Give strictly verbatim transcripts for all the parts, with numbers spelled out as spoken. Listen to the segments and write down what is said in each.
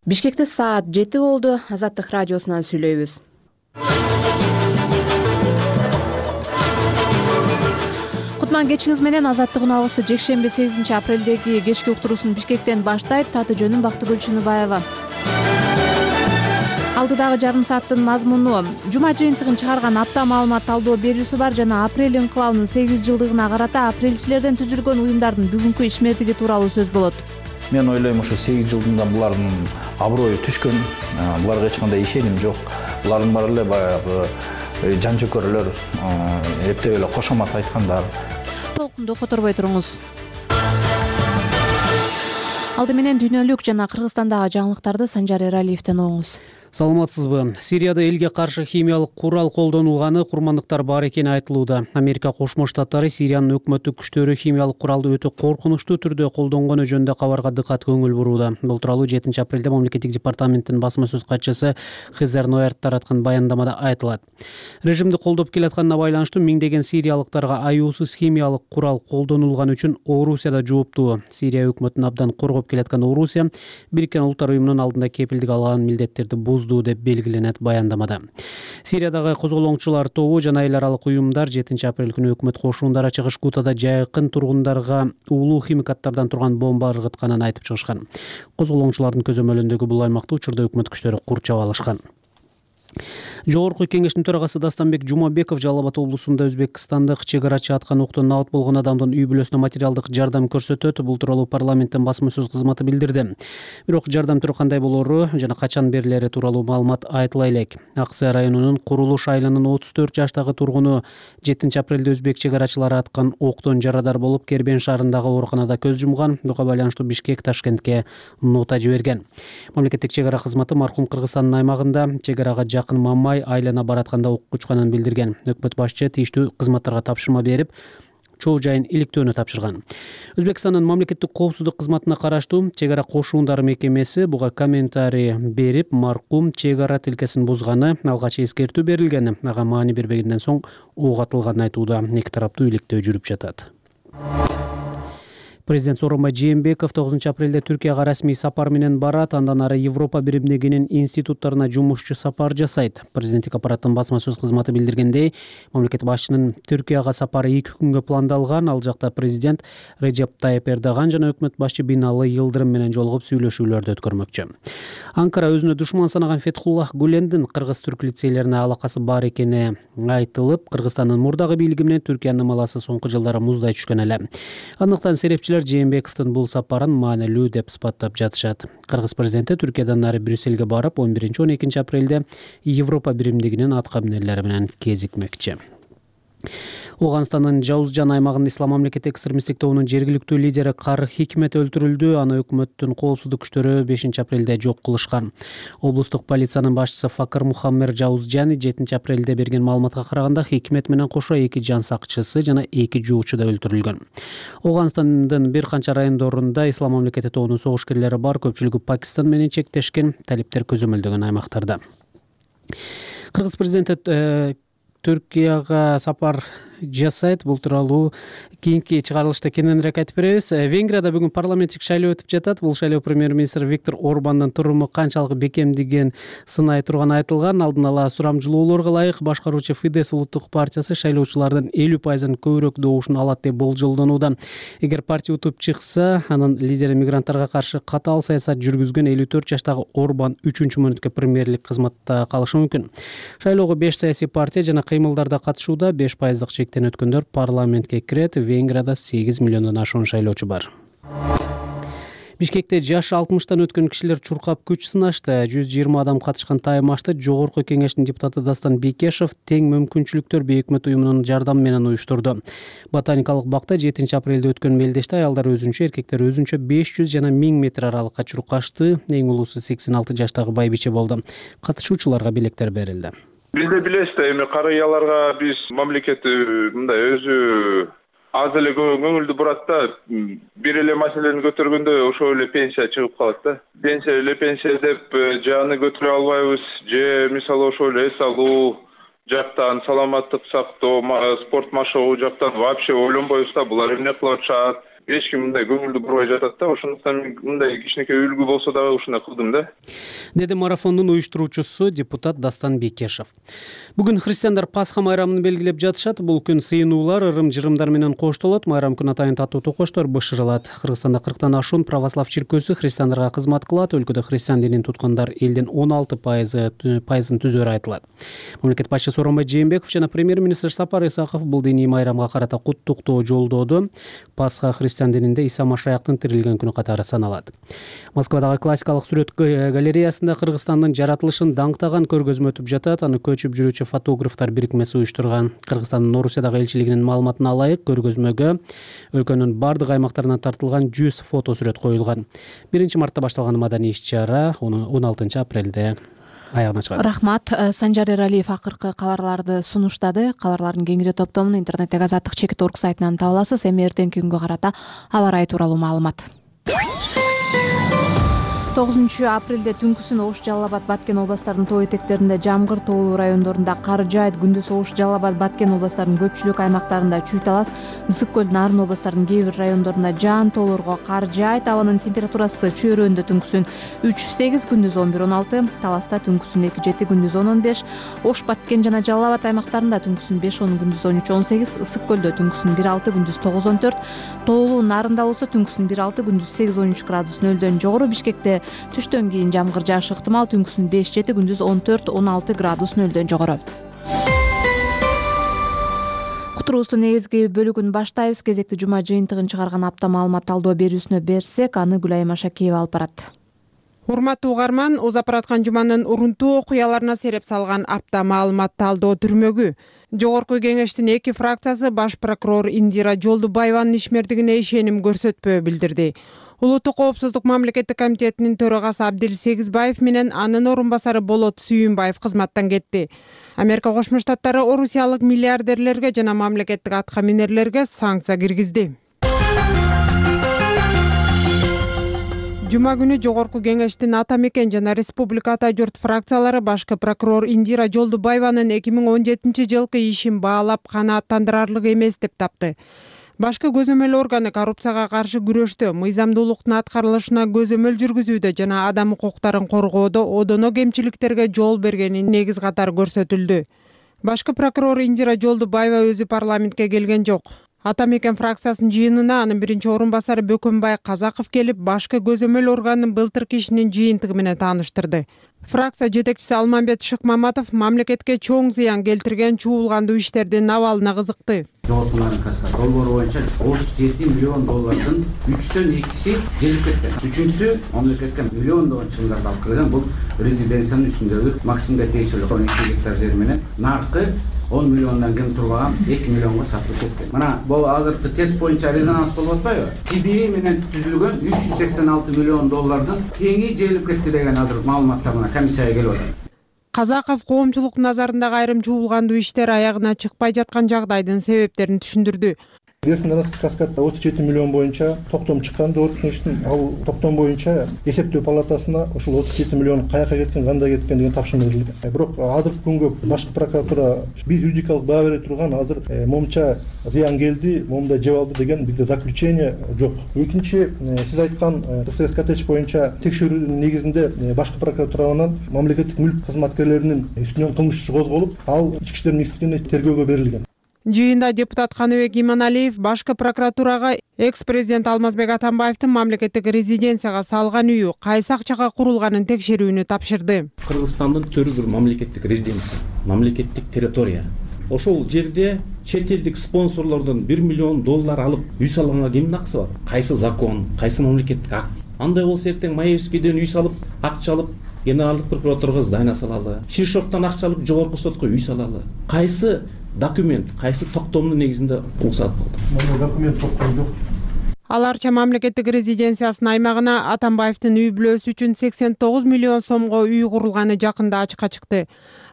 Бишкекте саат жети болду. Азаттык радиосунан сүйлөйбүз. Кутман кечиңиз менен. Азаттык уналысы жекшемби сегизинчи апрелдеги кечки уктуруусун Бишкектен баштайт. Таты жөнүм Бактыгүл Чыныбаева. Алдыдагы жарым сааттын мазмуну: жума жыйынтыгын чыгарган апта маалымат талдоо берүүсү бар жана апрель инкылабынын сегиз жылдыгына карата апрелчилерден түзүлгөн уюмдардын бүгүнкү ишмердиги тууралуу сөз болот. Мен ойлойм, ушу сегиз жылдында булардын аброю түшкөн, буларга эч кандай ишеним жок. Булардын баары эле баягы жан-жөкөрлөр, эптеп эле кошомат айткандар. Толкунду которбой туруңуз. Алды менен дүйнөлүк жана Кыргызстандагы жаңылыктарды Санжар Эралиевден угуңуз. Саламатсызбы? Сирияда элге каршы химиялык курал колдонулганы курмандыктар бар экени айтылууда. Америка Кошмо Штаттары Сириянын өкмөттүк күчтөрү химиялык куралды өтө коркунучтуу түрдө колдонгону жөнүндө кабарга дыккат көңүл бурууда. Бул тууралуу жетинчи апрелде мамлекеттик департаменттин басма сөз катчысы Хезер Ноерт тараткан баяндамада айтылат. Режимди колдоп келатканына байланыштуу миңдеген сириялыктарга аюусуз химиялык курал колдонулганы үчүн Орусияда жооптуу. Сирия өкмөтүн абдан коргоп келаткан Орусия Бириккен Улуттар уюмунун алдында кепилдик алган милдеттерди буз деп белгиленет баяндамада. Сириядагы козголоңчулар тобу жана эл аралык уюмдар жетинчи апрель күнү өкмөт кошундары чыгыш Гутада жайкын тургундарга уулуу химикаттардан турган бомба ыргытканын айтып чыгышкан. Козголоңчулардын көзөмөлүндөгү бул аймакты учурда өкмөт күчтөрү курчап алышкан. Жогорку кеңештин төрагасы Дастанбек Жумабеков Жалал Абад облусунда өзбекстандык чек арачы аткан октон набат болгон адамдын үй бүлөсүнө материалдык жардам көрсөтөт. Бул тууралуу парламенттин басма сөз кызматы билдирди. Бирок жардам түрү кандай болору жана качан берилери тууралуу маалымат айтыла элек. Аксай районунун Курулуш айылынын отуз төрт жаштагы тургуну жетинчи апрелде өзбек чек арачылары аткан октон жарадар болуп, Кербен шаарындагы ооруканада көз жумган. Буга байланыштуу Бишкек Ташкентке нота жиберген. Мамлекеттик чек ара кызматы маркум Кыргызстандын аймагында чек арага жакын Мамай айлана баратканда окко учканын билдирген. Өкмөт башчы тийиштүү кызматтарга тапшырма берип, чоо жайын иликтөөнү тапшырган. Өзбекстандын мамлекеттик коопсуздук кызматына караштуу чек ара кошуундары мекемеси буга комментарий берип, маркум чек ара тилкесин бузганы, алгач эскертүү берилгени, ага маани бербегенден соң ок атылганын айтууда. Эки тараптуу иликтөө жүрүп жатат. Президент Сооронбай Жээнбеков тогузунчу апрелде Түркияга расмий сапар менен барат. Андан ары Европа биримдигинин институттарына жумушчу сапар жасайт. Президенттик аппараттын басма сөз кызматы билдиргендей, мамлекет башчынын Түркияга сапары эки күнгө пландалган. Ал жакта президент Реджеп Тайып Эрдоган жана өкмөт башчы Бинали Йылдырым менен жолугуп сүйлөшүүлөрдү өткөрмөкчү. Анкара өзүнө душман санаган Фетхуллах Гулендин кыргыз-түрк лицейлерине алакасы бар экени айтылып, Кыргызстандын мурдагы бийлиги менен Түркиянын маласы соңку жылдары муздай түшкөн эле. Андыктан серепчилер Жээнбековдун бул сапарын маанилүү деп сыпаттап жатышат. Кыргыз президенти Түркиядан ары Брюссельге барып, он биринчи он экинчи апрелде Европа биримдигинин аткаминерлери менен кезикмекчи. Ооганстандын Жаузжан аймагында Ислам мамлекети экстремисттик тобунун жергиликтүү лидери Кары Хикмет өлтүрүлдү. Аны өкмөттүн коопсуздук күчтөрү бешинчи апрелде жок кылышкан. Облустук полициянын башчысы Факыр Мухаммер Жаузжани жетинчи апрелде берген маалыматка караганда, Хикмет менен кошо эки жан сакчысы жана эки жоочу да өлтүрүлгөн. Ооганстандын бир канча райондорунда Ислам мамлекети тобунун согушкерлери бар, көпчүлүгү Пакистан менен чектешкен, талиптер көзөмөлдөгөн аймактарда. Кыргыз президенти Түркияга сапар жасайт. Бул тууралуу кийинки чыгарылышта кененирээк айтып беребиз. Венгрияда бүгүн парламенттик шайлоо өтүп жатат. Бул шайлоо премьер-министр Виктор Орбандын туруму канчалык бекемдигин сынай турганы айтылган. Алдын ала сурамжылоолорго ылайык башкаруучу Фидес улуттук партиясы шайлоочулардын элүү пайызын көбүрөөк добушун алат деп болжолдонууда. Эгер партия утуп чыкса, анын лидери мигранттарга каршы катаал саясат жүргүзгөн элүү төрт жаштагы Орбан үчүнчү мөөнөткө премьерлик кызматта калышы мүмкүн. Шайлоого беш саясий партия жана кыймылдарда катышууда. беш пайыздык чектен өткөндөр парламентке кирет. Венгрияда сегиз миллиондон ашуун шайлоочу бар. Бишкекте жашы алтымыштан өткөн кишилер чуркап күч сынашты. жүз жыйырма адам катышкан таймашты Жогорку кеңештин депутаты Дастан Бекешев тең мүмкүнчүлүктөр бейөкмөт уюмунун жардамы менен уюштурду. Ботаникалык бакта жетинчи апрелде өткөн мелдеште аялдар өзүнчө, эркектер өзүнчө беш жүз жана миң метр аралыкка чуркашты. Эң улуусу сексен алты жаштагы байбиче болду. Катышуучуларга белектер берилди. Биз да билесиз да, эми карыяларга биз мамлекет мындай өзү аз эле көңүлдү бурат да. Бир эле маселени көтөргөндө ошол эле пенсия чыгып калат да. Пенсия эле пенсия деп жааны көтөрө албайбыз, же мисалы ошол эс алуу жактан, саламаттык сактоо, спорт машыгуу жактан вообще ойлонбойбуз да, булар эмне кылып атышат. эч ким мындай көңүлдү бурбай жатат да. Ошондуктан мен мындай кичинекей үлгү болсо дагы ушундай кылдым да. Деди марафондун уюштуруучусу депутат Дастан Бекешев. Бүгүн христиандар Пасха майрамын белгилеп жатышат. Бул күн сыйынуулар, ырым-жырымдар менен коштолот. Майрам күнү атайын таттуу токоштор бышырылат. Кыргызстанда кырктан ашуун православ чиркөөсү христиандарга кызмат кылат. Өлкөдө христиан динин туткандар элдин он алты пайызын түзөөрү айтылат. Мамлекет башчысы Сооронбай Жээнбеков жана премьер-министр Сапар Исаков бул диний майрамга карата куттуктоо жолдоду. Пасха христиан дининде Иса Машаяктын тирилген күнү катары саналат. Москвадагы классикалык сүрөт галереясында Кыргызстандын жаратылышын даңктаган көргөзмө өтүп жатат. Аны көчүп жүрүүчү фотографтар бирикмеси уюштурган. Кыргызстандын Орусиядагы элчилигинин маалыматына ылайык, көргөзмөгө өлкөнүн бардык аймактарынан тартылган жүз фото сүрөт коюлган. Биринчи мартта башталган маданий иш-чара он алтынчы апрелде аягына чыгат. Рахмат. Санжар Эралиев акыркы кабарларды сунуштады. Кабарлардын кеңири топтомун интернеттеги азаттык чекит точка орг сайтынан таба аласыз. Эми эртеңки күнгө карата аба ырайы тууралуу маалымат. тогузунчу апрелде түнкүсүн Ош, Жалал Абад, Баткен областарынын тоо этектеринде жамгыр, тоолуу райондорунда кар жаайт. Күндүз Ош, Жалал Абад, Баткен областарынын көпчүлүк аймактарында чүй талас, Ысык көл, Нарын областарынын кээ бир райондорунда жаан тоолорго кар жаайт. Абанын температурасы чөйрөндө түнкүсүн үч сегиз, күндүз он бир он алты, таласта түнкүсүн эки жети, күндүз он он беш, Ош, Баткен жана Жалал Абад аймактарында түнкүсүн беш он, күндүз он үч он сегиз, Ысык көлдө түнкүсүн бир алты, күндүз тогуз он төрт, тоолуу Нарында болсо түнкүсүн бир алты, күндүз сегиз он үч градус нөлдөн жогору. Бишкекте түштөн кийин жамгыр жаашы ыктымал, түнкүсүн беш жети, күндүз он төрт он алты градус нөлдөн жогору. Кутурубуздун негизги бөлүгүн баштайбыз. Кезекти жума жыйынтыгын чыгарган апта маалымат талдоо берүүсүнө берсек, аны Гүлайым Ашакеева алып барат. Урматтуу угарман, узап бараткан жуманын урунтуу окуяларына сереп салган апта маалымат талдоо түрмөгү. Жогорку кеңештин эки фракциясы баш прокурор Индира Жолдубаеванын ишмердигине ишеним көрсөтпөө билдирди. Улуттук коопсуздук мамлекеттик комитетинин төрагасы Абдил Сегизбаев менен анын орун басары Болот Сүйүнбаев кызматтан кетти. Америка Кошмо Штаттары орусиялык миллиардерлерге жана мамлекеттик аткаминерлерге санкция киргизди. Жума күнү жогорку кеңештин Ата Мекен жана Республика Ата Журт фракциялары башкы прокурор Индира Жолдубаеванын эки миң он жетинчи жылкы ишин баалап канааттандырарлык эмес деп тапты. Башкы көзөмөл органы коррупцияга каршы күрөштө, мыйзамдуулуктун аткарылышына көзөмөл жүргүзүүдө жана адам укуктарын коргоодо одоно кемчиликтерге жол бергени негиз катары көрсөтүлдү. Башкы прокурор Индира Жолдубаева өзү парламентке келген жок. Ата Мекен фракциясынын жыйынына анын биринчи орун басары Бөкөнбай Казаков келип, башкы көзөмөл органынын былтыркы ишинин жыйынтыгы менен тааныштырды. Фракция жетекчиси Алмамбет Шыкмаматов мамлекетке чоң зыян келтирген чуулгандуу иштердин абалына кызыкты. Жогорку наркотика долбоору боюнча отуз жети миллион доллардын үчтөн экиси желип кеткен. Үчүнчүсү мамлекетке миллиондогон чыгымдарды алып келген. Бул резиденциянын үстүндөгү Максимге тиешелүү он эки гектар жер менен наркы он миллиондан кем турбаган эки миллионго сатылып кеткен. Мына бул азыркы ТЭЦ боюнча резонанс болуп атпайбы? Ти Би И менен түзүлгөн үч жүз сексен алты миллион доллардын теңи желип кетти деген азыр маалыматтар мына комиссияга келип атат. Казаков коомчулуктун назарындагы айрым чуулгандуу иштер аягына чыкпай жаткан жагдайдын себептерин түшүндүрдү. Эркин Каскадда отуз жети миллион боюнча токтом чыккан жогорку кеңештин, ал токтом боюнча эсептөө палатасына ошол отуз жети миллион каяка кеткен, кандай кеткен деген тапшырма берилген. Бирок азыркы күнгө башкы прокуратура бир юридикалык баа бере турган, азыр момча зыян келди, момундай жеп алды деген бизде заключение жок. Экинчи, сиз айткан ТСС боюнча текшерүүнүн негизинде башкы прокуратуранын мамлекеттик мүлк кызматкерлеринин үстүнөн кылмыш иши козголуп, ал ички иштер министрлигине тергөөгө берилген. Жыйында депутат Каныбек Иманалиев башкы прокуратурага экс-президент Алмазбек Атамбаевдин мамлекеттик резиденцияга салган үйү кайсы акчага курулганын текшерүүнү тапшырды. Кыргызстандын төрү бир мамлекеттик резиденция, мамлекеттик территория. Ошол жерде чет элдик спонсорлордон бир миллион доллар алып үй салганга кимдин акысы бар? Кайсы закон, кайсы мамлекеттик акт? Андай болсо эртең Маевскийден үй салып, акча алып, генералдык прокуратурага здание салалы. Шишоктон акча алып, жогорку сотко үй салалы. Кайсы документ, кайсы токтомдун негизинде уруксат болду? Мына документ токтом жок. Аларча мамлекеттик резиденциясынын аймагына Атамбаевдин үй бүлөсү үчүн сексен тогуз миллион сомго үй курулганы жакында ачыкка чыкты.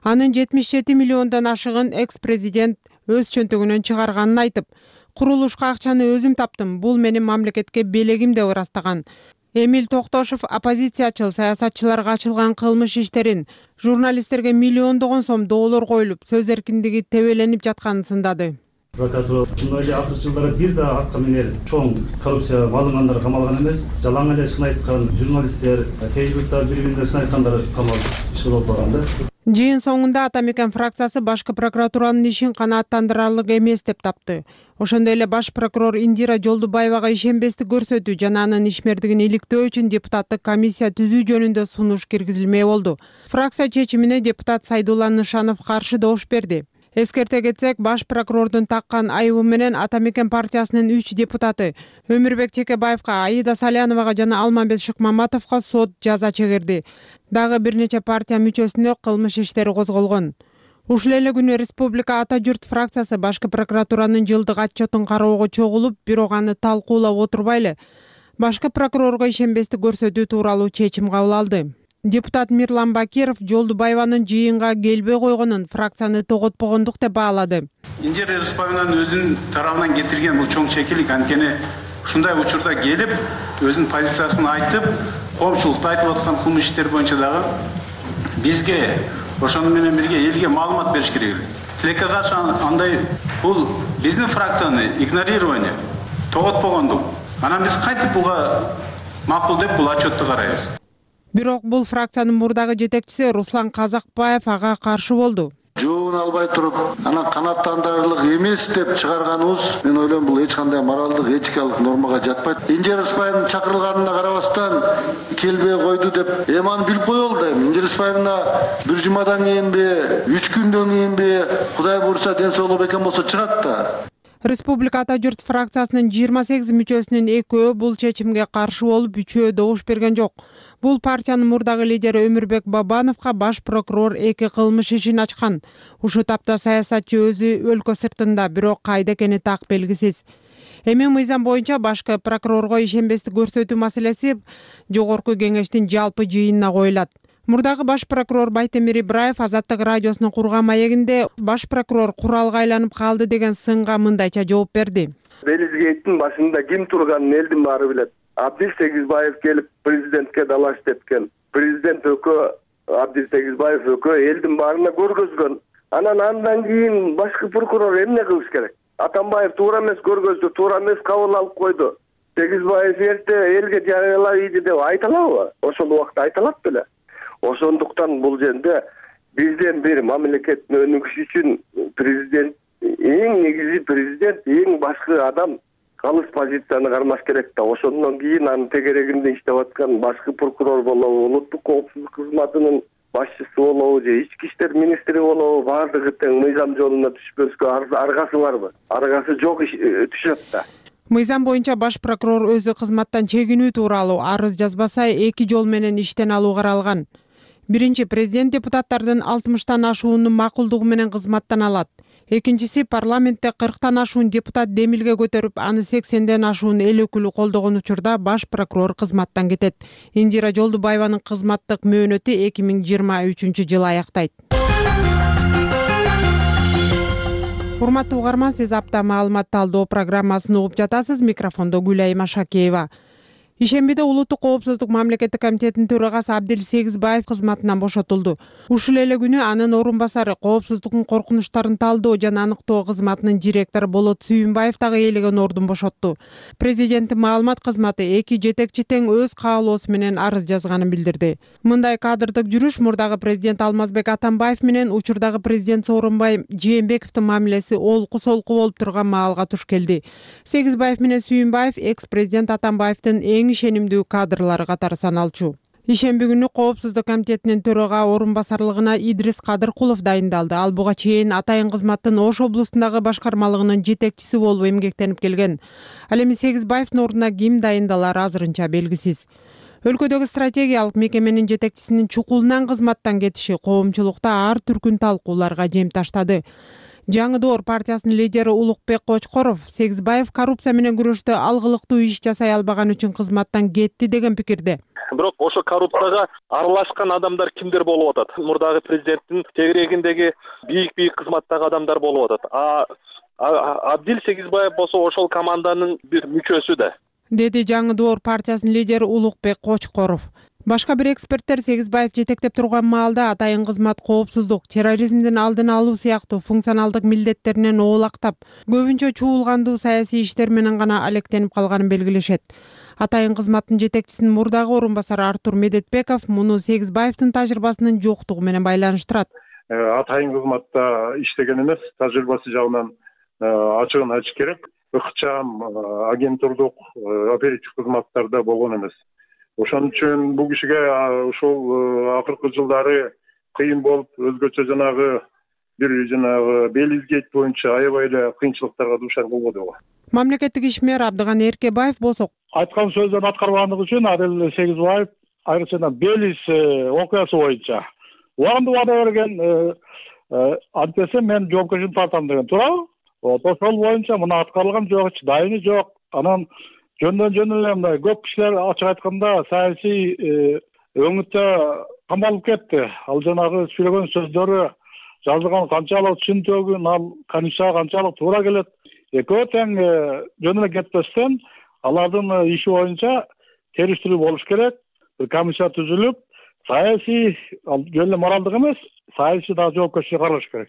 Анын жетимиш жети миллиондон ашыгын экс-президент өз чөнтөгүнөн чыгарганын айтып, курулушка акчаны өзүм таптым, бул менин мамлекетке белегим деп ырастаган. Эмил Токтошов оппозициячыл саясатчыларга ачылган кылмыш иштерин, журналисттерге миллиондогон сом доолор коюлуп, сөз эркиндиги тебеленип жатканын сындады. Прокуратура мындай эле акыркы жылдары бир да акка менен чоң коррупция алынгандар камалган эмес. Жалаң эле сын айткан журналисттер, Фейсбукта бири-бирине сын айткандар камалып ишке алып барган да. Жыйын соңунда Ата Мекен фракциясы башкы прокуратуранын ишин канааттандырарлык эмес деп тапты. Ошондой эле баш прокурор Индира Жолдубаевага ишенбестик көрсөтүү жана анын ишмердигин иликтөө үчүн депутаттык комиссия түзүү жөнүндө сунуш киргизилмей болду. Фракция чечимине депутат Сайдулла Нышанов каршы добуш берди. Эскерте кетсек, баш прокурордун таккан айыбы менен Ата Мекен партиясынын үч депутаты Өмүрбек Текебаевка, Аида Саляновага жана Алмамбет Шыкмаматовго сот жаза чегирди. Дагы бир нече партия мүчөсүнө кылмыш иштери козголгон. Ушул эле күнү Республика Ата журт фракциясы башкы прокуратуранын жылдык отчетун кароого чогулуп, бирок аны талкуулап отурбай эле башкы прокурорго ишенбестик көрсөтүү тууралуу чечим кабыл алды. Депутат Мирлан Бакиров Жолдубаеванын жыйынга келбей койгонун фракцияны тоготпогондук деп баалады. Индира Рыспаевнанын өзүнүн тарабынан кетирген бул чоң чекилик анткени ушундай учурда келип, өзүнүн позициясын айтып, коомчулукта айтып аткан кылмыш иштер боюнча дагы бизге ошону менен бирге элге маалымат бериш керек. Тилекке каршы андай бул биздин фракцияны игнорирование, тоготпогондук. Анан биз кайтып буга макул деп бул отчетту карайбыз. Бирок бул фракциянын мурдагы жетекчиси Руслан Казакбаев ага каршы болду. Жообун албай туруп, анан канааттандырарлык эмес деп чыгарганыбыз, мен ойлойм, бул эч кандай моралдык, этикалык нормага жатпайт. Индира Рыспаевнын чакырылганына карабастан келбей койду деп, эми аны билип коелу да. Индира Рыспаевна бир жумадан кийинби, үч күндөн кийинби, Кудай буйрса ден соолугу бекем болсо чыгат да. Республика Ата журт фракциясынын жыйырма сегиз мүчөсүнүн экөө бул чечимге каршы болуп, үчөө добуш берген жок. Бул партиянын мурдагы лидери Өмүрбек Бабановго баш прокурор эки кылмыш ишин ачкан. Ушул тапта саясатчы өзү өлкө сыртында, бирок кайда экени так белгисиз. Эми мыйзам боюнча башкы прокурорго ишенбестик көрсөтүү маселеси жогорку кеңештин жалпы жыйынына коюлат. Мурдагы баш прокурор Байтемир Ибраев Азаттык радиосунун курган маегинде баш прокурор куралга айланып калды деген сынга мындайча жооп берди. Белизгейттин башында ким турганын элдин баары билет. Абдил Сегизбаев келип президентке далаш тепкен. Президент өкө Абдил Сегизбаев өкө элдин баарына көргөзгөн. Анан андан кийин башкы прокурор эмне кылыш керек? Атамбаев туура эмес көргөздү, туура эмес кабыл алып койду. Сегизбаев эрте элге жарыялап ийди деп айталабы? Ошол убакта айталат беле. Ошондуктан бул жерде бизден бир мамлекеттин өнүгүшү үчүн президент, эң негизи президент, эң башкы адам калыс позицияны кармаш керек да. Ошондон кийин анын тегерегинде иштеп аткан башкы прокурор болобу, улуттук коопсуздук кызматынын башчысы болобу же ички иштер министри болобу, баардыгы тең мыйзам жолуна түшпөскө аргасы барбы? Аргасы жок түшөт да. Мыйзам боюнча баш прокурор өзү кызматтан чегинүү тууралуу арыз жазбаса эки жол менен иштен алуу каралган. Биринчи, президент депутаттардын алтымыштан ашуунун макулдугу менен кызматтан алат. Экинчиси, парламентте кырктан ашуун депутат демилге көтөрүп, аны сексенден ашуун эл өкүлү колдогон учурда баш прокурор кызматтан кетет. Индира Жолдубаеванын кызматтык мөөнөтү эки миң жыйырма үчүнчү жылы аяктайт. Урматтуу угарман, сиз апта маалымат талдоо программасын угуп жатасыз. Микрофондо Гүлайым Ашакеева. Ишембиде улуттук коопсуздук мамлекеттик комитетинин төрагасы Абдил Сегизбаев кызматынан бошотулду. Ушул эле күнү анын орун басары коопсуздуктун коркунучтарын талдоо жана аныктоо кызматынын директору Болот Сүйүнбаев дагы ээлеген ордун бошотту. Президенттин маалымат кызматы эки жетекчи тең өз каалоосу менен арыз жазганын билдирди. Мындай кадрдык жүрүш мурдагы президент Алмазбек Атамбаев менен учурдагы президент Сооронбай Жээнбековдун мамилеси олку-солку болуп турган маалга туш келди. Сегизбаев менен Сүйүнбаев экс-президент Атамбаевдин эң ишенимдүү кадрлары катары саналчу. Ишемби күнү коопсуздук комитетинин төрага орун басарлыгына Идрис Кадыркулов дайындалды. Ал буга чейин атайын кызматтын Ош облустундагы башкармалыгынын жетекчиси болуп эмгектенип келген. Ал эми Сегизбаевдин ордуна ким дайындалары азырынча белгисиз. Өлкөдөгү стратегиялык мекеменин жетекчисинин чукулунан кызматтан кетиши коомчулукта ар түркүн талкууларга жем таштады. Жаңы Доор партиясынын лидери Улукбек Кочкоров Сегизбаев коррупция менен күрөштө алгылыктуу иш жасай албаган үчүн кызматтан кетти деген пикирде. Бирок ошо коррупцияга аралашкан адамдар кимдер болуп атат? Мурдагы президенттин тегерегиндеги бийик-бийик кызматтагы адамдар болуп атат. А Абдил Сегизбаев болсо ошол команданын бир мүчөсү да. Деди Жаңы Доор партиясынын лидери Улукбек Кочкоров. Башка бир эксперттер Сегизбаев жетектеп турган маалда атайын кызмат коопсуздук, терроризмдин алдын алуу сыяктуу функционалдык милдеттеринен оолактап, көбүнчө чуулгандуу саясий иштер менен гана алектенип калганын белгилешет. Атайын кызматтын жетекчисинин мурдагы орун басары Артур Медетбеков муну Сегизбаевдин тажрыйбасынын жоктугу менен байланыштырат. Атайын кызматта иштеген эмес, тажрыйбасы жагынан ачыгын айтыш керек. Ыкчам агентурдук оперативдик кызматтарда болгон эмес. Ошон үчүн бул кишиге ушул акыркы жылдары кыйын болуп, өзгөчө жанагы бир жанагы Белизгейт боюнча аябай эле кыйынчылыктарга дуушар болбодубу? Мамлекеттик ишмер Абдыган Эркебаев болсо, айткан сөздөрүн аткарбагандыгы үчүн Адил Сегизбаев айрыкча Белиз окуясы боюнча убагында убада берген, антесе мен жоопкерчиликти тартам деген туурабы? Ошол боюнча мына аткарылган жок, дайыны жок. Анан жөндөн жөн эле мындай көп кишилер ачык айтканда саясий өңүттө камалып кетти. Ал жанагы сүйлөгөн сөздөрү жазылган канчалык түшүнтөгүн, ал комиссияга канчалык туура келет. Экөө тең жөн эле кетпестен алардын иши боюнча териштирүү болуш керек. Бир комиссия түзүлүп, саясий, жөн эле моралдык эмес, саясий да жоопкерчилик каралыш керек,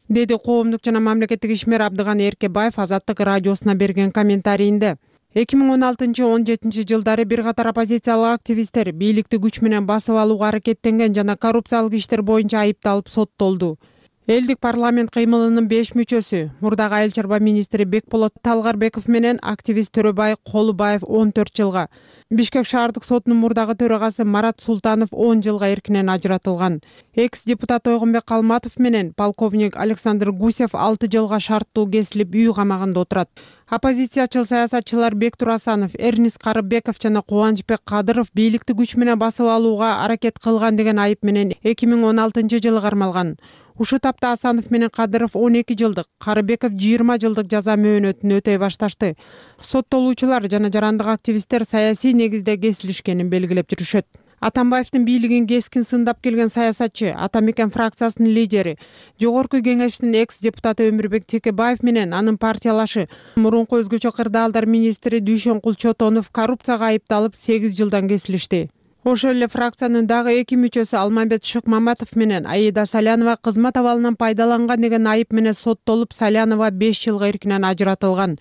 деди коомдук жана мамлекеттик ишмер Абдыган Эркебаев Азаттык радиосуна берген комментарийинде. эки миң он алтынчы — он жетинчи жылдары бир катар оппозициялык активисттер бийликти күч менен басып алууга аракеттенген жана коррупциялык иштер боюнча айыпталып соттолду. Элдик парламент кыймылынын беш мүчөсү, мурдагы айыл чарба министри Бекболот Талгарбеков менен активист Төрөбай Колубаев он төрт жылга, Бишкек шаардык сотунун мурдагы төрагасы Марат Султанов он жылга эркинен ажыратылган. Экс-депутат Ойгонбек Калматов менен полковник Александр Гусев алты жылга шарттуу кесилип үй камагында отурат. Оппозициячыл саясатчылар Бектур Асанов, Эрнис Карыбеков жана Кубанычбек Кадыров бийликти күч менен басып алууга аракет кылган деген айып менен эки миң он алтынчы жылы кармалган. Ушул тапта Асанов менен Кадыров он эки жылдык, Карыбеков жыйырма жылдык жаза мөөнөтүн өтөй башташты. Соттолуучулар жана жарандык активисттер саясий негизде кесилишкенин белгилеп жүрүшөт. Атамбаевдин бийлигин кескин сындап келген саясатчы, Ата Мекен фракциясынын лидери, Жогорку Кеңештин экс-депутаты Өмүрбек Текебаев менен анын партиялашы, мурунку өзгөчө кырдаалдар министри Дүйшөнкул Чотонов коррупцияга айыпталып сегиз жылдан кесилишти. Ошол эле фракциянын дагы эки мүчөсү Алмамбет Шыкмаматов менен Аида Салянова кызмат абалынан пайдаланган деген айып менен соттолуп, Салянова беш жылга эркинен ажыратылган.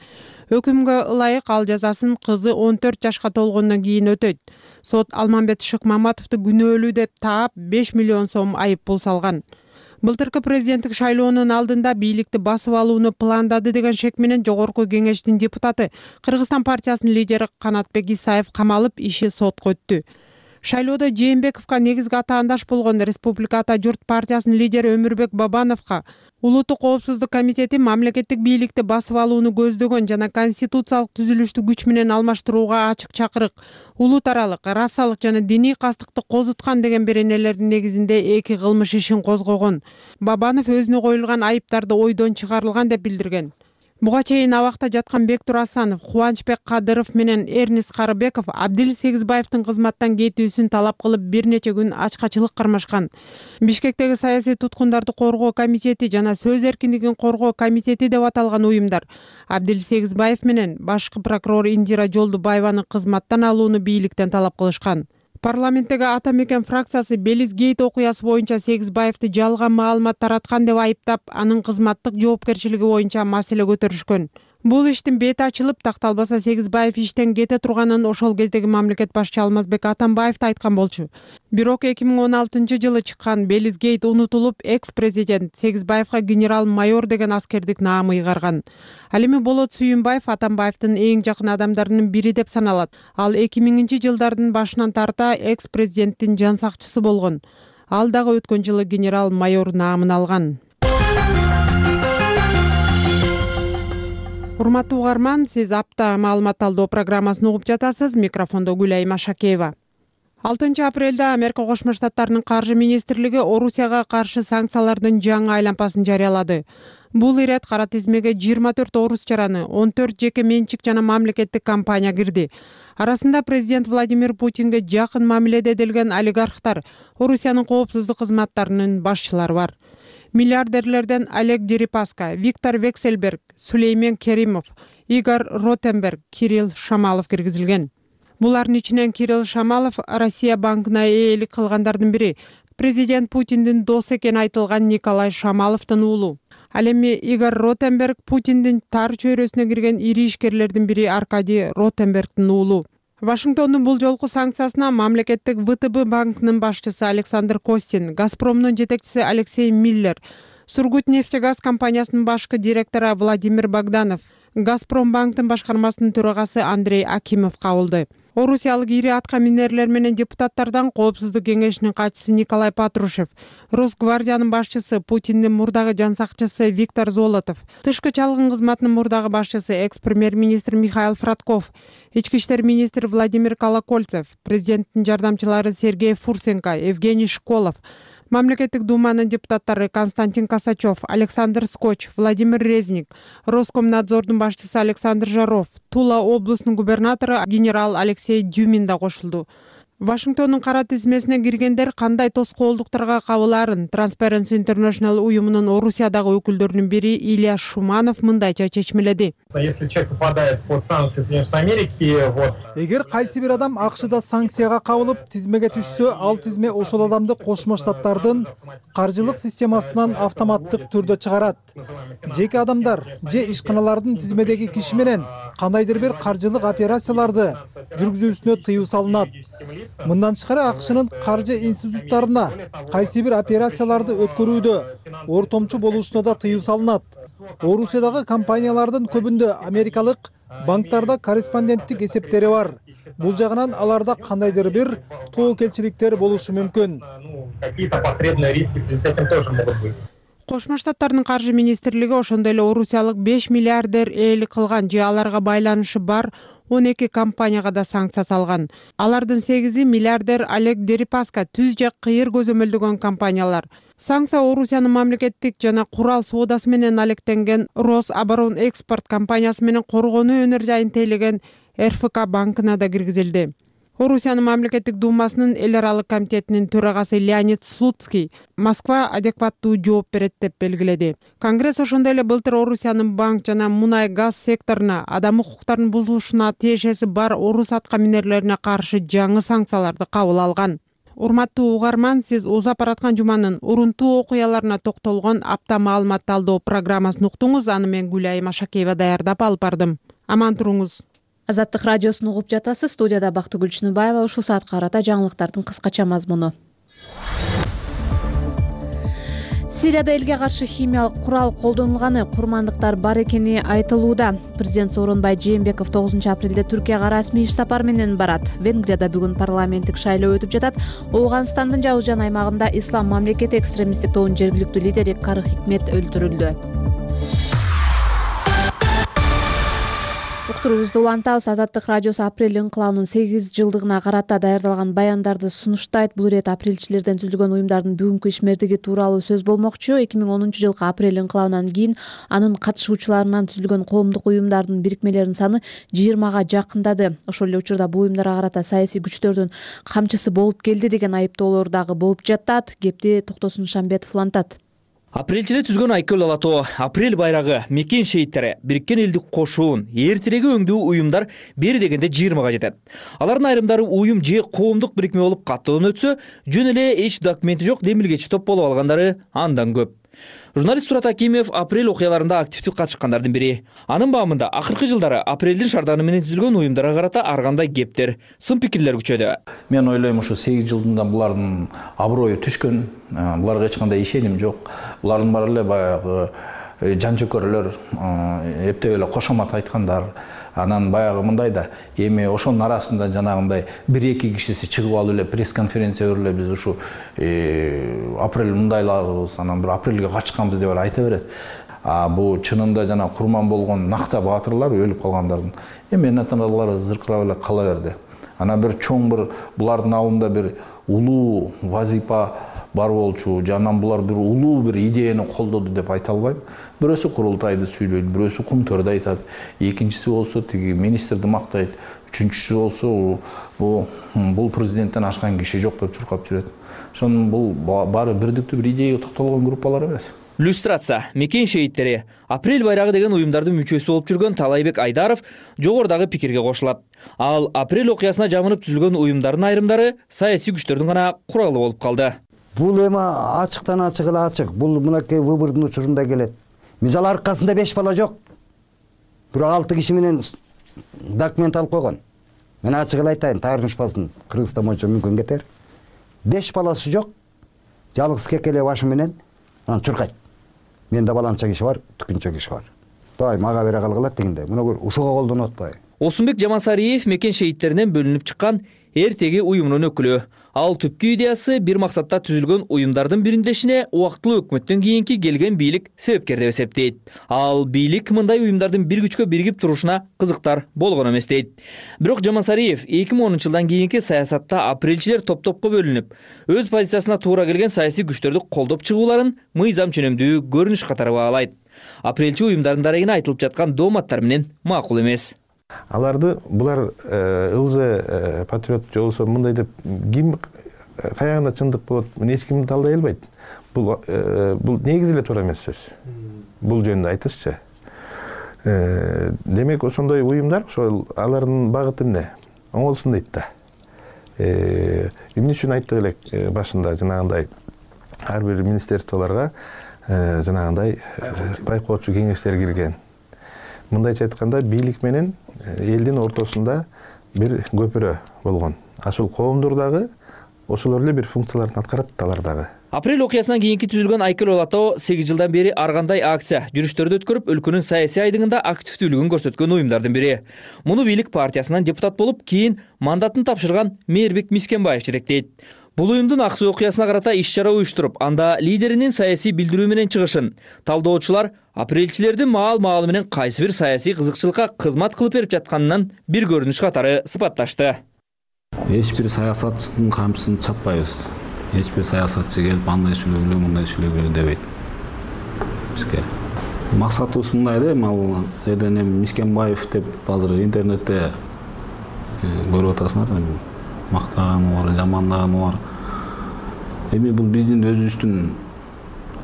Өкүмгө ылайык ал жазасын кызы он төрт жашка толгондон кийин өтөйт. Сот Алмамбет Шыкмаматовду күнөөлүү деп таап беш миллион сом айып пул салган. Былтыркы президенттик шайлоонун алдында бийликти басып алууну пландады деген шек менен Жогорку Кеңештин депутаты, Кыргызстан партиясынын лидери Канатбек Исаев камалып, иши сотко өттү. Шайлоодо Жээнбековго негизги атаандаш болгон Республика Ата журт партиясынын лидери Өмүрбек Бабановго Улуттук коопсуздук комитети мамлекеттик бийликти басып алууну көздөгөн жана конституциялык түзүлүштү күч менен алмаштырууга ачык чакырык, улут аралык, расалык жана диний кастыкты козуткан деген беренелердин негизинде эки кылмыш ишин козгогон. Бабанов өзүнө коюлган айыптарды ойдон чыгарылган деп билдирген. Буга чейин абакта жаткан Бектур Асанов, Кубанычбек Кадыров менен Эрнис Карыбеков Абдил Сегизбаевдин кызматтан кетүүсүн талап кылып бир нече күн ачкачылык кармашкан. Бишкектеги саясий туткундарды коргоо комитети жана сөз эркиндигин коргоо комитети деп аталган уюмдар Абдил Сегизбаев менен башкы прокурор Индира Жолдубаеваны кызматтан алууну бийликтен талап кылышкан. Парламенттеги Ата Мекен фракциясы Белизгейт окуясы боюнча Сегизбаевди жалган маалымат тараткан деп айыптап, анын кызматтык жоопкерчилиги боюнча маселе көтөрүшкөн. Бул иштин бети ачылып, такталбаса Сегизбаев иштен кете турганын ошол кездеги мамлекет башчы Алмазбек Атамбаев да айткан болчу. Бирок эки миң он алтынчы жылы чыккан Белизгейт унутулуп, экс-президент Сегизбаевга генерал-майор деген аскердик наам ыйгарган. Ал эми Болот Сүйүнбаев Атамбаевдин эң жакын адамдарынын бири деп саналат. Ал эки миңинчи жылдардын башынан тарта экс-президенттин жан сакчысы болгон. Ал дагы өткөн жылы генерал-майор наамын алган. Урматтуу угарман, сиз апта маалымат талдоо программасын угуп жатасыз. Микрофондо Гүлай Машакеева. алтынчы апрелде Америка Кошмо Штаттарынын каржы министрлиги Орусияга каршы санкциялардын жаңы айлампасын жарыялады. Бул ирет кара тизмеге жыйырма төрт орус чараны, он төрт жеке менчик жана мамлекеттик компания кирди. Арасында президент Владимир Путинге жакын мамиледе эделген олигархтар, Орусиянын коопсуздук кызматтарынын башчылары бар. Миллиардерлерден Олег Дерипаска, Виктор Вексельберг, Сулеймен Керимов, Игорь Ротенберг, Кирилл Шамалов киргизилген. Булардын ичинен Кирилл Шамалов Россия банкына ээлик кылгандардын бири. Президент Путиндин досу экени айтылган Николай Шамаловдун уулу. Ал эми Игорь Ротенберг Путиндин тар чөйрөсүнө кирген ири ишкерлердин бири Аркадий Ротенбергдин уулу. Вашингтондун бул жолку санкциясына мамлекеттик вэ тэ бэ банкынын башчысы Александр Костин, Газпромдун жетекчиси Алексей Миллер, Сургутнефтегаз компаниясынын башкы директору Владимир Богданов, Газпром банктын башкармасынын төрагасы Андрей Акимов кабылды. Орусиялык ири атка минерлер менен депутаттардан Коопсуздук кеңешинин катчысы Николай Патрушев, Росгвардиянын башчысы Путиндин мурдагы жан сакчысы Виктор Золотов, Тышкы чалгын кызматынын мурдагы башчысы экс-премьер-министр Михаил Фродков, Ички иштер министри Владимир Колокольцев, президенттин жардамчылары Сергей Фурсенко, Евгений Школов, Мамлекеттик думанын депутаттары Константин Косачев, Александр Скотч, Владимир Резник, Роскомнадзордун башчысы Александр Жаров, Тула облусунун губернатору генерал Алексей Дюмин да кошулду. Вашингтондун кара тизмесине киргендер кандай тоскоолдуктарга кабылаарын Transparency International уюмунун Орусиядагы өкүлдөрүнүн бири Илья Шуманов мындайча чечмеледи. Если человек попадает под санкции Соединенных Америки, вот. Эгер кайсы бир адам АКШда санкцияга кабылып, тизмеге түшсө, ал тизме ошол адамды Кошмо Штаттардын каржылык системасынан автоматтык түрдө чыгарат. Жеке адамдар же ишканалардын тизмедеги киши менен кандайдыр бир каржылык операцияларды жүргүзүүсүнө тыюу салынат. Мындан тышкары АКШнын каржы институттарына кайсы бир операцияларды өткөрүүдө ортомчу болушуна да тыюу салынат. Орусиядагы компаниялардын көбүндө америкалык банктарда корреспонденттик эсептери бар. Бул жагынан аларда кандайдыр бир тоокелчиликтер болушу мүмкүн. Какие-то посредные риски в связи с этим тоже могут быть. Кошмо Штаттардын каржы министрлиги ошондой эле орусиялык беш миллиардер ээлик кылган же аларга байланышы бар он эки компанияга да санкция салган. Алардын сегизи миллиардер Олег Дерипаска түз же кыйыр көзөмөлдөгөн компаниялар. Санкция Орусиянын мамлекеттик жана курал соодасы менен алектенген Рособоронэкспорт компаниясы менен коргонуу өнөр жайын тейлеген эр эф ка банкына да киргизилди. Орусиянын мамлекеттик думасынын эл аралык комитетинин төрагасы Леонид Слуцкий Москва адекваттуу жооп берет деп белгиледи. Конгресс ошондой эле былтыр Орусиянын банк жана мунай газ секторуна адам укуктарынын бузулушуна тиешеси бар орус атка минерлерине каршы жаңы санкцияларды кабыл алган. Урматтуу угарман, сиз узап бараткан жуманын урунтуу окуяларына токтолгон апта маалымат талдоо программасын уктуңуз. Аны мен Гүлайым Ашакеева даярдап алып бардым. Аман туруңуз. Азаттык радиосун угуп жатасыз. Студияда Бактыгүл Чыныбаева. Ушул саатка карата жаңылыктардын кыскача мазмуну. Сирияда элге каршы химиялык курал колдонулганы, курмандыктар бар экени айтылууда. Президент Сооронбай Жээнбеков тогузунчу апрелде Түркияга расмий иш сапар менен барат. Венгрияда бүгүн парламенттик шайлоо өтүп жатат. Ооганстандын Жаужан аймагында Ислам мамлекети экстремисттик тобунун жергиликтүү лидери Кары Хикмет өлтүрүлдү. Уктуруубузду улантабыз. Азаттык радиосу апрель инкылабынын сегиз жылдыгына карата даярдалган баяндарды сунуштайт. Бул ирет апрелчилерден түзүлгөн уюмдардын бүгүнкү ишмердиги тууралуу сөз болмокчу. эки миң онунчу жылкы апрель инкылабынан кийин анын катышуучуларынан түзүлгөн коомдук уюмдардын бирикмелеринин саны жыйырмага жакындады. Ошол эле учурда бул уюмдарга карата саясий күчтөрдүн камчысы болуп келди деген айыптоолор дагы болуп жатат. Кепти Токтосун Шамбетов улантат. Апрелчиде түзгөн Айкөл Алатоо, апрель байрагы, мекен шейиттери, Бириккен элдик кошуун, эртиреги өңдүү уюмдар бери дегенде жыйырмага жетет. Алардын айрымдары уюм же коомдук бирикме болуп каттоодон өтсө, жөн эле эч документи жок демилгечи топ болуп алгандары андан көп. Журналист Турат Акимов апрель окуяларында активдүү катышкандардын бири. Анын баамында акыркы жылдары апрелдин шарданы менен түзүлгөн уюмдарга карата ар кандай кептер, сын пикирлер күчөдү. Мен ойлойм, ушу сегиз жылдында булардын аброю түшкөн, буларга эч кандай ишеним жок. Булардын баары эле баягы жанчөкөрлөр, эптеп эле кошомат айткандар. Анан баягы мындай да, эми ошонун арасында жанагындай бир-эки кишиси чыгып алып эле пресс-конференция берип эле биз ушу апрель мындайларбыз, анан бир апрелге качканбыз деп айта берет. А бул чынында жана курман болгон накта баатырлар өлүп калгандардын эми энатаналары зыркырап эле кала берди. Анан бир чоң бир булардын алдында бир улуу вазипа бар болчу, жанан булар бир улуу бир идеяны колдоду деп айта албайм. Бирөөсү курултайды сүйлөйт, бирөөсү кумтөрдү айтат, экинчиси болсо тиги министрди мактайт, үчүнчүсү болсо бул бул президенттен ашкан киши жок деп чуркап жүрөт. Ошон бул баары бирдиктүү бир идеяга токтолгон группалар эмес. Люстрация, мекен шейиттери, апрель байрагы деген уюмдардын мүчөсү болуп жүргөн Талайбек Айдаров жогорудагы пикирге кошулат. Ал апрель окуясына жамынып түзүлгөн уюмдардын айрымдары саясий күчтөрдүн гана куралы болуп калды. Бул эми ачыктан ачык эле ачык. Бул мынакей выбордун учурунда келет. Мисалы аркасында беш бала жок. Бирок алты киши менен документ алып койгон. Мен ачык эле айтайын, таарынышпасын, Кыргызстан боюнча мүмкүн кетер. Беш баласы жок. Жалгыз кекеле башы менен анан чуркайт. Менде баланча киши бар, түкүнчө киши бар. Давай мага бере калгыла дегенде. Муну көр, ушуга колдонуп атпайбы? Осунбек Жамансариев мекен шейиттеринен бөлүнүп чыккан эртеги уюмунун өкүлү. Ал түпкү идеясы бир максатта түзүлгөн уюмдардын бириндешине убактылуу өкмөттөн кийинки келген бийлик себепкер деп эсептейт. Ал бийлик мындай уюмдардын бир күчкө биригип турушуна кызыктар болгон эмес дейт. Бирок Жамансариев эки миң онунчу жылдан кийинки саясатта апрелчилер топ-топко бөлүнүп, өз позициясына туура келген саясий күчтөрдү колдоп чыгууларын мыйзам ченемдүү көрүнүш катары баалайт. Апрелчи уюмдардын дарегине айтылып жаткан дооматтар менен макул эмес. Аларды булар ылжы патриот же болбосо мындай деп ким каягында чындык болот, муну эч ким талдай албайт. Бул бул негизи эле туура эмес сөз. Бул жөнүндө айтышчы. Демек ошондой уюмдар, ошол алардын багыты эмне? Оңолсун дейт да. Эмне үчүн айттык элек башында жанагындай ар бир министерстволорго жанагындай байкоочу кеңештер кирген. Мындайча айтканда бийлик менен элдин ортосунда бир көпүрө болгон. Ашыл коомдор дагы ошолор эле бир функцияларын аткарат алар дагы. Апрель окуясынан кийинки түзүлгөн Айкел Олато сегиз жылдан бери ар кандай акция, жүрүштөрдү өткөрүп, өлкөнүн саясий айдыгында активдүүлүгүн көрсөткөн уюмдардын бири. Муну бийлик партиясынан депутат болуп, кийин мандатын тапшырган Мээрбек Мискенбаев жетектейт. Бул уюмдун ак суу окуясына карата иш-чара уюштуруп, анда лидеринин саясий билдирүү менен чыгышын талдоочулар апрелчилердин маал-маалы менен кайсы бир саясий кызыкчылыкка кызмат кылып берип жатканынан бир көрүнүш катары сыпатташты. Эч бир саясатчынын камчысын чаппайбыз. Эч бир саясатчы келип андай сүйлөгүлө, мындай сүйлөгүлө дебейт. Бизге максатыбыз мындай да, ал элден Мискенбаев деп азыр интернетте көрүп атасыңар. Мактаганы бар, жамандаганы бар. Эми бул биздин өзүбүздүн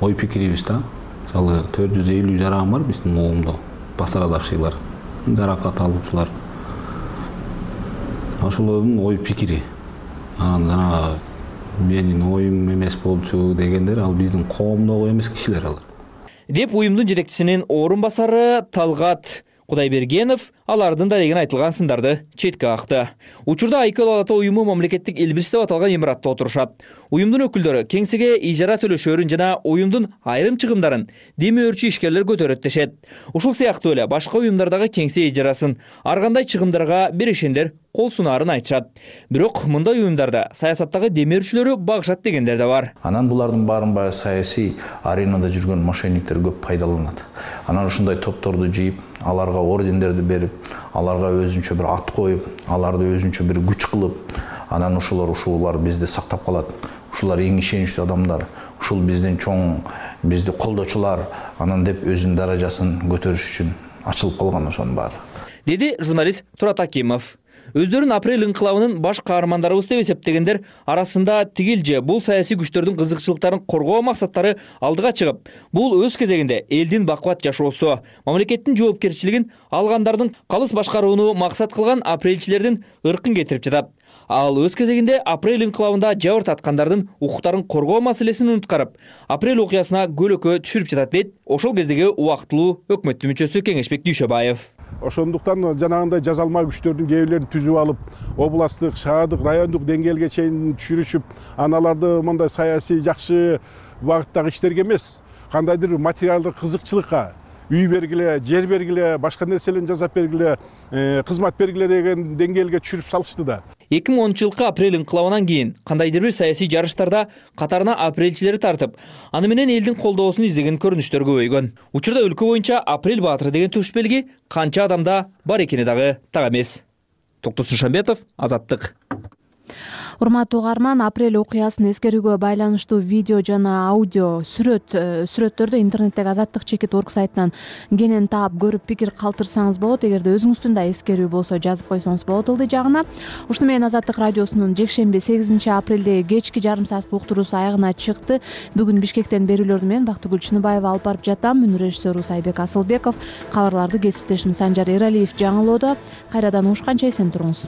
ой пикирибиз да. Мисалы төрт жүз элүү жаран бар биздин коомдо. Пострадавшийлар, жаракат алуучулар. Ошолордун ой пикири. Анан жана менин оюм эмес болчу дегендер ал биздин коомдогу эмес кишилер алар. Деп уюмдун жетекчисинин орун басары Талгат Кудайбергенов алардын дарегине айтылган сындарды четке какты. Учурда Айкел Олато уюму мамлекеттик Элбирис деп аталган имаратта отурушат. Уюмдун өкүлдөрү кеңсеге ижара төлөшөрүн жана уюмдун айрым чыгымдарын демөөрчү ишкерлер көтөрөт дешет. Ушул сыяктуу эле башка уюмдардагы кеңсе ижарасын ар кандай чыгымдарга беришендер кол сунаарын айтышат. Бирок мындай уюмдарда саясаттагы демөөрчүлөрү багышат дегендер да бар. Анан булардын баарын баягы саясий аренада жүргөн мошенниктер көп пайдаланат. Анан ушундай топторду жыйып, аларга ордендерди берип, аларга өзүнчө бир ат коюп, аларды өзүнчө бир күч кылып, анан ошолор ушулар бизди сактап калат. Ушулар эң ишеничтүү адамдар, ушул биздин чоң, бизди колдочулар, анан деп өзүнүн даражасын көтөрүш үчүн ачылып калган ошонун баары. Деди журналист Турат Акимов. Өздөрүн апрель инкылабынын баш каармандарыбыз деп эсептегендер арасында тигил же бул саясий күчтөрдүн кызыкчылыктарын коргоо максаттары алдыга чыгып, бул өз кезегинде элдин бакубат жашоосу, мамлекеттин жоопкерчилигин алгандардын калыс башкарууну максат кылган апрелчилердин ыркын кетирип жатат. Ал өз кезегинде апрель инкылабында жабыр таткандардын укуктарын коргоо маселесин унуткарып, апрель окуясына көлөкө түшүрүп жатат дейт ошол кездеги убактылуу өкмөттүн мүчөсү Кеңешбек Дүйшөбаев. Ошондуктан жанагындай жазалма күчтөрдүн кээ бирлерин түзүп алып, областтык, шаардык, райондук деңгээлге чейин түшүрүшүп, аналарды мындай саясий жакшы багыттагы иштерге эмес, кандайдыр материалдык кызыкчылыкка үй бергиле, жер бергиле, башка нерселерин жасап бергиле, кызмат бергиле деген деңгээлге түшүрүп салышты да. эки миң онунчу жылкы апрель инкылабынан кийин кандайдыр бир саясий жарыштарда катарына апрелчилери тартып, аны менен элдин колдоосун издеген көрүнүштөр көбөйгөн. Учурда өлкө боюнча Апрель баатыры деген төш белги канча адамда бар экени дагы так эмес. Токтосун Шамбетов, Азаттык. Урматтуу угарман, апрель окуясын эскерүүгө байланыштуу видео жана аудио сүрөт сүрөттөрдү интернеттеги азаттык чекит орг сайтынан кенен таап көрүп пикир калтырсаңыз болот. Эгерде өзүңүздүн да эскерүү болсо жазып койсоңуз болот ылдый жагына. Ушуну менен Азаттык радиосунун жекшемби сегизинчи апрелдеги кечки жарым саат уктуруусу аягына чыкты. Бүгүн Бишкектен берүүлөрдү менен Бактыгүл Чыныбаева алып барып жатам. Мүнүр режиссеру Сайбек Асылбеков, кабарларды кесиптешим Санжар Эралиев жаңылоодо. Кайрадан угушканча эсен туруңуз.